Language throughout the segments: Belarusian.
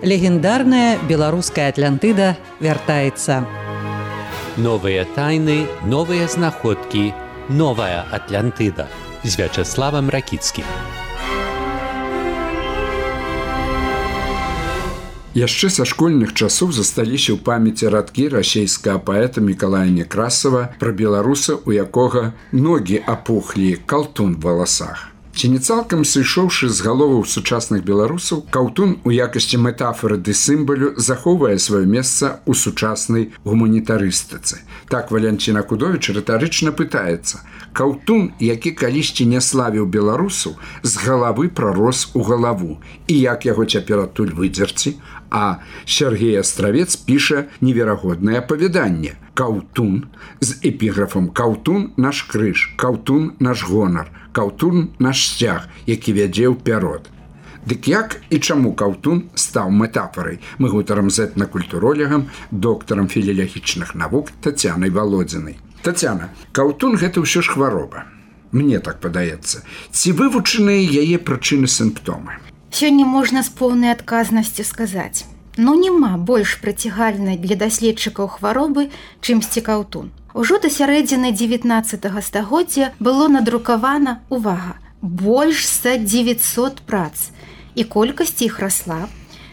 Легендарная беларуская Атлантыда вяртаецца. Новыя тайны, новыя знаходкі, новая Атлантыда з Вячаславам Ракіцкім. Яшчэ са школьных часоў засталіся ў памяці радкі расейскага паэта Мікалая Некрасава пра беларуса, у якога ногі апухлі, калтун в валасах. Ці не цалкам сышоўшы з галоваў сучасных беларусаў, каўтун у якасці метафоры ды сімвалю захоўвае сваё месца ў сучаснай гуманітарыстыцы. Так Валянцін Акудовіч рытарычна пытаецца: каўтун, які калісьці не славіў беларусаў, з галавы прарос у галаву, і як яго цяпер адтуль выдзерці? А Сергей Астравец піша неверагоднае апавяданне: каўтун з эпіграфам «Каўтун наш крыж, каўтун наш гонар, каўтун наш сцяг, які вядзе ў пярод». Дык як і чаму каўтун стаў метафорай? Мы гутарам з этнакультуролегам, доктарам філілагічных навук Тацянай Валодзінай. Тацяна, каўтун гэта ўсё ж хвароба. Мне так падаецца. Ці вывучаныя яе прычыны сімптомы? Сёння можна з поўнай адказнасцю сказаць: няма больш прыцягальнай для даследчыкаў хваробы, чымсьці каўтун. Ужо да сярэдзіны 19 стагоддзя было надрукавана, увага, больш за 900 прац, і колькасць іх расла,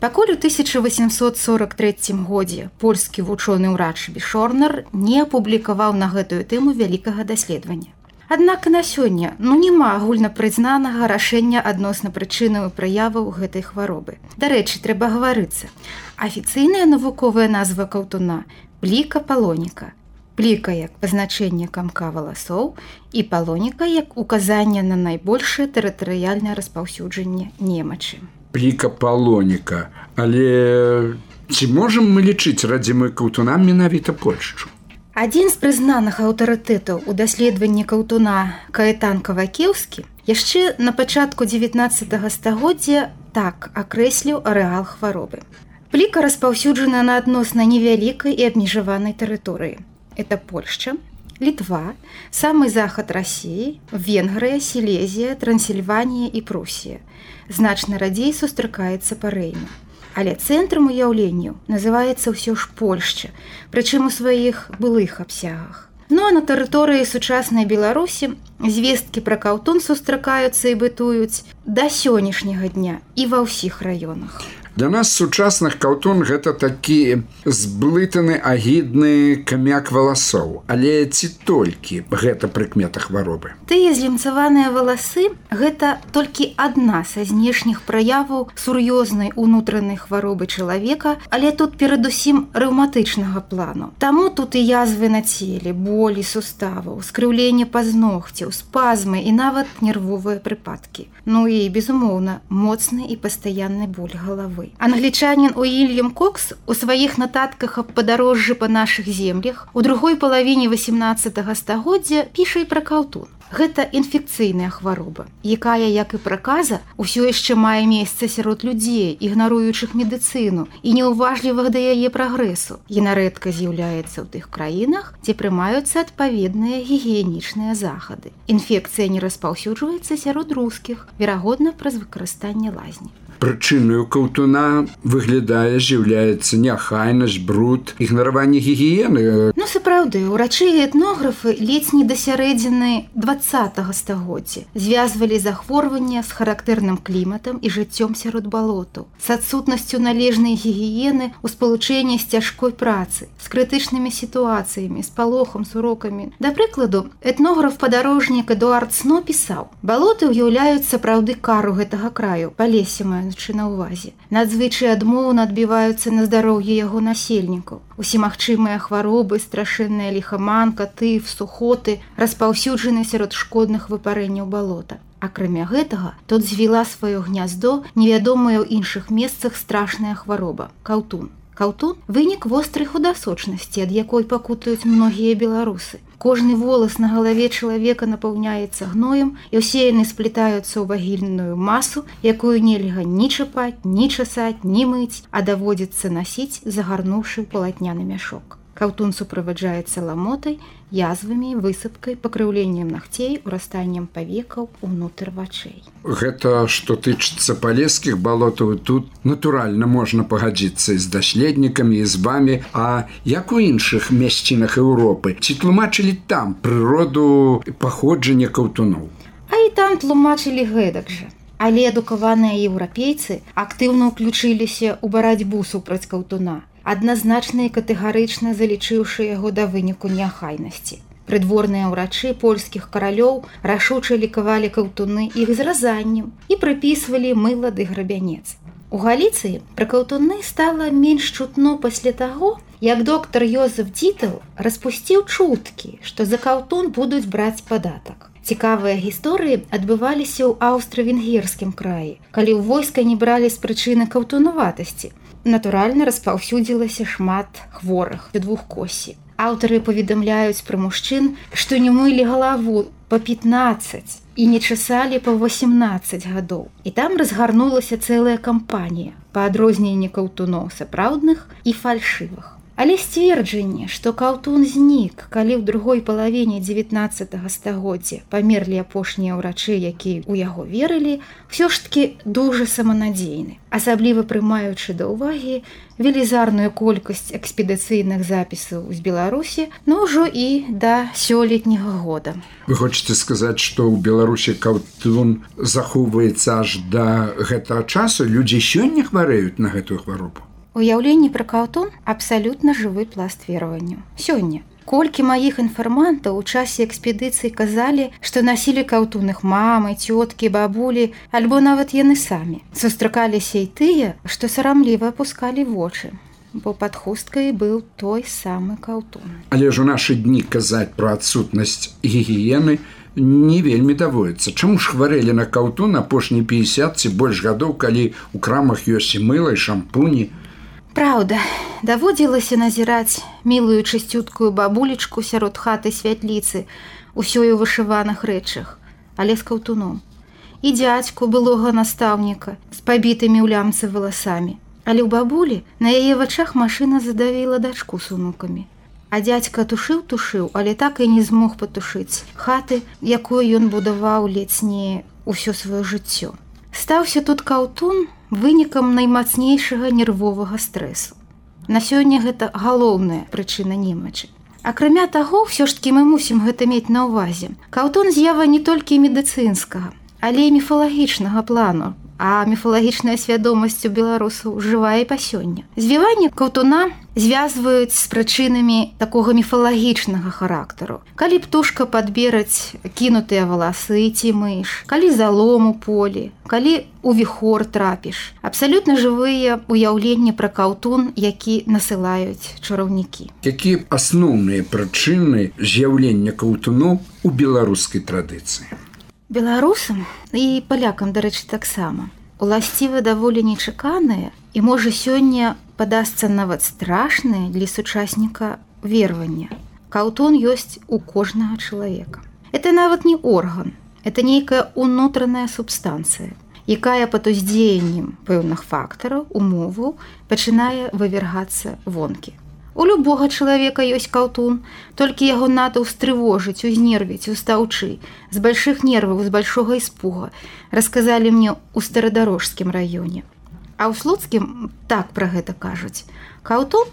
пакуль у 1843 годзе польскі вучоны ўрач Бішорнер не апублікаваў на гэтую тэму вялікага даследавання. Аднак на сёння няма агульнапрызнанага рашэння адносна прычынаў і праяваў гэтай хваробы. Дарэчы, трэба гаварыцца. Афіцыйная навуковая назва каўтуна – пліка палоніка. Пліка як пазначэнне камка валасоў і палоніка як указанне на найбольшае тэрытарыяльнае распаўсюджанне немачы. Пліка палоніка. Але ці можам мы лічыць радзімай каўтуна менавіта Польшчу? Адзін з прызнаных аўтарытэтаў у даследаванні каўтуна Каэтан Кавакеўскі яшчэ на пачатку 19 стагоддзя так акрэсліў арэал хваробы. Пліка распаўсюджана на адносна невялікай і абмежаванай тэрыторыі. Это Польшча, Літва, самы захад Расіі, Венгрыя, Сілезія, Трансільванія і Прусія. Значна радзей сустракаецца па Рэйну. Але цэнтрам уяўленняў называецца ўсё ж Польшча, прычым у сваіх былых абсягах. А на тэрыторыі сучаснай Беларусі звесткі пра каўтун сустракаюцца і бытуюць да сённяшняга дня і ва ўсіх раёнах. Для нас сучасных каўтун гэта такі зблытаны агідны камяк валасоў. Але ці толькі гэта прыкмета хваробы? Тыя злемцаваныя валасы – гэта толькі адна са знешніх праяваў сур'ёзнай унутранай хваробы чалавека, але тут перадусім рэўматычнага плану. Таму тут і язвы на целе, болі суставаў, скрыўленне пазногцяў, спазмы і нават нервовыя прыпадкі. І, безумоўна, моцны і пастаянны боль галавы. Англічанін Уільям Кокс у сваіх нататках аб падарожжы па нашых землях у другой палавіне 18 стагоддзя піша і пра каўтун. Гэта інфекцыйная хвароба, якая, як і праказа, усё яшчэ мае месца сярод людзей, ігнаруючых медыцыну і неўважлівых да яе прагрэсу. Яна рэдка з'яўляецца ў тых краінах, дзе прымаюцца адпаведныя гігіенічныя захады. Інфекцыя не распаўсюджваецца сярод рускіх, верагодна праз выкарыстанне лазні. Прычыною каўтуна, выглядае, з'яўляецца неахайнасць, бруд, ігнараванне гігіены. Сапраўды, урачы і этнографы ледзь не да сярэдзіны 20 стагоддзя звязвалі захворвання з характэрным кліматам і жыццём сярод балотаў, з адсутнасцю належнай гігіены ў спалучэнні з цяжкой працы, з крытычнымі сітуацыямі, з палохам, з урокамі. Да прыкладу, этнограф-падарожнік Эдуард Сно пісаў: балоты ўяўляюць сапраўды кару гэтага краю, палесе маючы на ўвазе. Надзвычай адмоўна адбіваюцца на здароўе яго насельнікаў. Усімагчымыя хваробы, страшэнная ліхаманка, тыф, сухоты распаўсюджаны сярод шкодных выпарэнняў балота. Акрамя гэтага, тут звіла сваё гняздо невядомая ў іншых месцах страшная хвароба – каўтун. Каўтун – вынік вострай худасочнасці, ад якой пакутаюць многія беларусы. Кожны волас на галаве чалавека напаўняецца гноем, і ўсе яны сплетаюцца ў вагільную масу, якую нельга ні чапаць, ні часаць, ні мыць, а даводзіцца насіць, загарнуўшы ў палатняны мяшок. Каўтун суправаджаецца ламотай, язвамі, высыпкай, пакрыўленнем нагцей, урастаннем павекаў унутр вачэй. Гэта, што тычыцца палескіх балотаў, тут натуральна можна пагадзіцца з даследнікамі і з вамі, а як у іншых месцінах Еўропы? Ці тлумачылі там прыроду паходжання каўтуноў? А і там тлумачылі гэтак жа. Але адукаваныя еўрапейцы актыўна ўключыліся ў барацьбу супраць каўтуна, адназначна і катэгарычна залічыўшы яго да выніку неахайнасці. Прыдворныя ўрачы польскіх каралёў рашуча лікавалі каўтуны іх зразаннем і прыпісвалі мыла ды грабянец. У Галіцыі пра каўтуны стала менш чутно пасля таго, як доктар Йозеф Дітл распусціў чуткі, што за каўтун будуць браць падатак. Цікавыя гісторыі адбываліся ў аўстра-венгерскім краі, калі ў войска не бралі з прычыны каўтунаватасці. Натуральна, распаўсюдзілася шмат хворых у двухкоссі. Аўтары паведамляюць пра мужчын, што не мылі галаву па 15 і не часалі па 18 гадоў. І там разгарнулася цэлая кампанія па адрозненні каўтуноў сапраўдных і фальшывых. Але сцверджанне, што каўтун знік, калі ў другой палавіне 19 стагоддзя памерлі апошнія ўрачы, якія ў яго верылі, ўсё ж такі дужа саманадзейны, асабліва прымаючы да ўвагі велізарную колькасць экспедыцыйных запісаў з Беларусі, но ўжо і да сёлетняга года. Вы хочаце сказаць, што ў Беларусі каўтун захоўваецца аж да гэтага часу? Людзі сёння хварэюць на гэтую хваробу? Уяўленне пра каўтун абсалютна жывы пласт вераванняў. Сёння. Колькі маіх інфармантаў у часе экспедыцыі казалі, што насілі каўтун іх мамы, цёткі, бабулі, альбо нават яны самі. Сустракаліся і тыя, што сарамліва апускалі вочы, бо пад хусткай быў той самы каўтун. Але ж у нашы дні казаць пра адсутнасць гігіены не вельмі даводіцца. Чаму ж хварэлі на каўтун апошні 50 ці больш гадоў, калі ў крамах ёсць і мыла, і шампуні? Праўда, даводзілася назіраць мілую чысцюткую бабулечку сярод хаты святліцы, усёй у вышываных рэчах, але з каўтуном. І дзядзьку былога настаўніка з пабітымі ў лямцы валасамі. Але ў бабулі на яе вачах машына задавіла дачку з унукамі. А дзядзька тушыў, але так і не змог патушыць хаты, якую ён будаваў ледзь не ўсё сваё жыццё. Стаўся тут каўтун вынікам наймацнейшага нервовага стрэсу. На сёння гэта галоўная прычына немачы. Акрамя таго, ўсё ж такі мы мусім гэта мець на ўвазе. Каўтун з'ява не толькі медыцынскага, але і міфалагічнага плану, а міфалагічная свядомасць у беларусаў жывая і па сёння. Звіванне каўтуна звязваюць з прычынамі такога міфалагічнага характару. Калі птушка падбераць кінутыя валасы ці мыш, калі залом у полі, калі у віхор трапіш. Абсалютна жывыя уяўленні пра каўтун, які насылаюць чараўнікі. Якія асноўныя прычыны з'яўлення каўтуноў у беларускай традыцыі? Беларусам і палякам, дарэчы, таксама уласціва даволі нечаканае і можа сёння падасца нават страшнае для сучасніка веравання. Каўтун ёсць у кожнага чалавека. Это нават не орган, это нейкая унутраная субстанцыя, якая пад уздзеяннем пэўных фактараў, умоваў пачынае вывергацца вонкі. У любога чалавека ёсць каўтун, толькі яго надо ўстрывожыць, узнервіць, устаўчы. З больших нерваў, з большога іспуга, расказалі мне ў Старадарожскім раёне. А ў Слуцкім так пра гэта кажуць. Каўтун?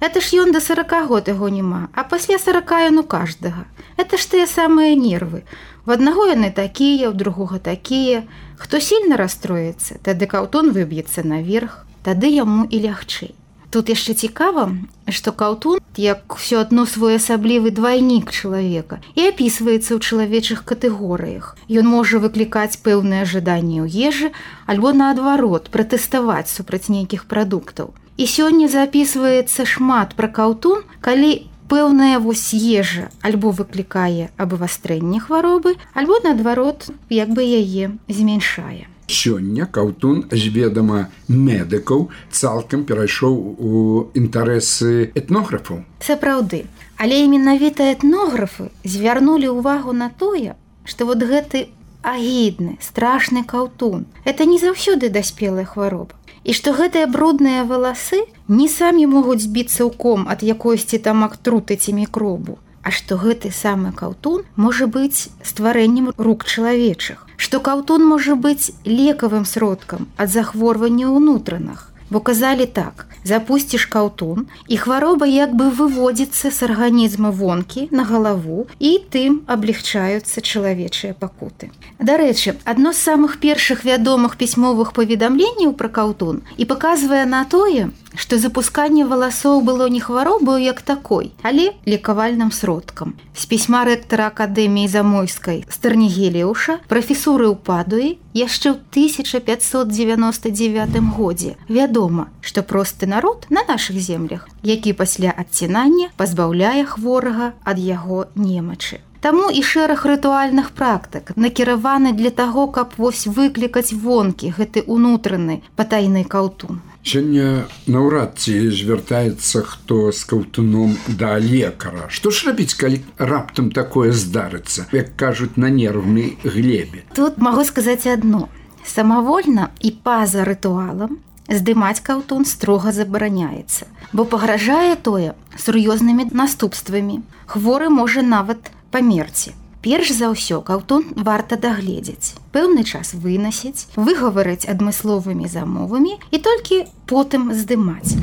Это ж ён да 40 год яго няма, а пасля 40 ён у каждага. Это ж тыя самыя нервы. У аднаго яны такія, у другога такія. Хто сильна расстроіцца, тады каўтун выб'ецца наверх, тады яму і лягчэй. Тут яшчэ цікава, што каўтун, як усё адно своеасаблівы двайнік чалавека, і апісваецца ў чалавечых катэгорыях. Ён можа выклікаць пэўныя жаданні ў ежы, альбо наадварот, пратэставаць супраць нейкіх прадуктаў. І сёння запісваецца шмат пра каўтун, калі пэўная вось ежа альбо выклікае абвастрэнне хваробы, альбо наадварот, як бы яе змяншае. Сёння каўтун з ведама медыкаў цалкам перайшоў у інтарэсы этнографаў. Сапраўды, але менавіта этнографы звярнулі ўвагу на тое, што вот гэты агідны, страшны каўтун, это не заўсёды даспелая хвароба. І што гэтыя брудныя валасы не самі могуць збіцца ў ком ад якойсьці там актруты ці мікробу, а што гэты самы каўтун можа быць стварэннем рук чалавечых, што каўтун можа быць лекавым сродкам ад захворвання ўнутраных. Бо казалі так, запусціш каўтун, і хвароба як бы выводзіцца з арганізма вонкі на галаву, і тым аблегчаюцца чалавечыя пакуты. Дарэчы, адно з самых першых вядомых пісьмовых паведамленняў пра каўтун і паказвае на тое, што запусканне валасоў было не хваробаю як такой, але лекавальным сродкам. З пісьма рэктара Акадэміі Замойскай Старнігеліуша, прафесуры ў Падуі, яшчэ ў 1599 годзе вядома, што просты народ на нашых землях, які пасля адцінання пазбаўляе хворага ад яго немачы. Таму і шэраг рытуальных практык накіраваны для таго, каб вось выклікаць вонкі гэты ўнутраны патайны каўтун. Сёння наўрад ці звяртаецца хто з каўтуном да лекара. Што ж рабіць, калі раптам такое здарыцца, як кажуць, на нервнай глебе? Тут магу сказаць адно. Самавольна і па-за рытуалам здымаць каўтун строга забараняецца, бо пагражае тое сур'ёзнымі наступствамі. Хворы можа нават памерці. Перш за ўсё каўтун варта дагледзець, пэўны час вынасіць, выгаварыць адмысловымі замовамі і толькі потым здымаць.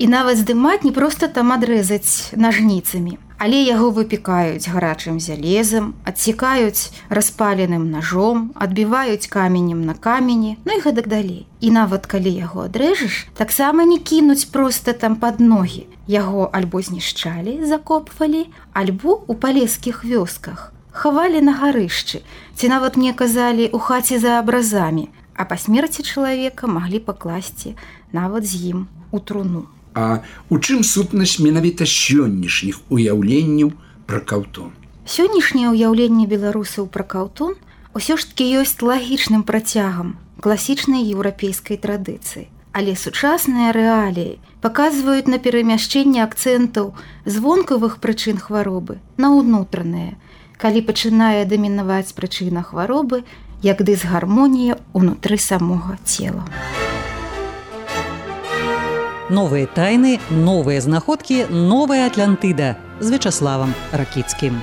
І нават здымаць не проста там адрэзаць нажніцамі, але яго выпікаюць гарачым залезам, адсекаюць распаленым ножом, адбіваюць каменем на камені, ну і гэтак далей. І нават калі яго адрэжаш, таксама не кінуць проста там пад ногі. Яго альбо знішчалі, закопвалі, альбо ў палескіх вёсках. Хавалі на гарышчы, ці нават мне казалі ў хаце за абразамі, а па смерці чалавека маглі пакласці нават з ім у труну. А у чым сутнасць менавіта сённяшніх уяўленняў пра каўтун? Сённяшняе ўяўленне беларусаў пра каўтун усё ж такі ёсць лагічным працягам класічнай еўрапейскай традыцыі. Але сучасныя рэаліі паказваюць на перамяшчэнне акцэнтаў з вонкавых прычын хваробы на ўнутраныя, калі пачынае дамінаваць прычына хваробы, як дысгармонія ўнутры самога цела. Новыя тайны, новыя знаходкі, новая Атлантыда з Вячаславам Ракіцкім.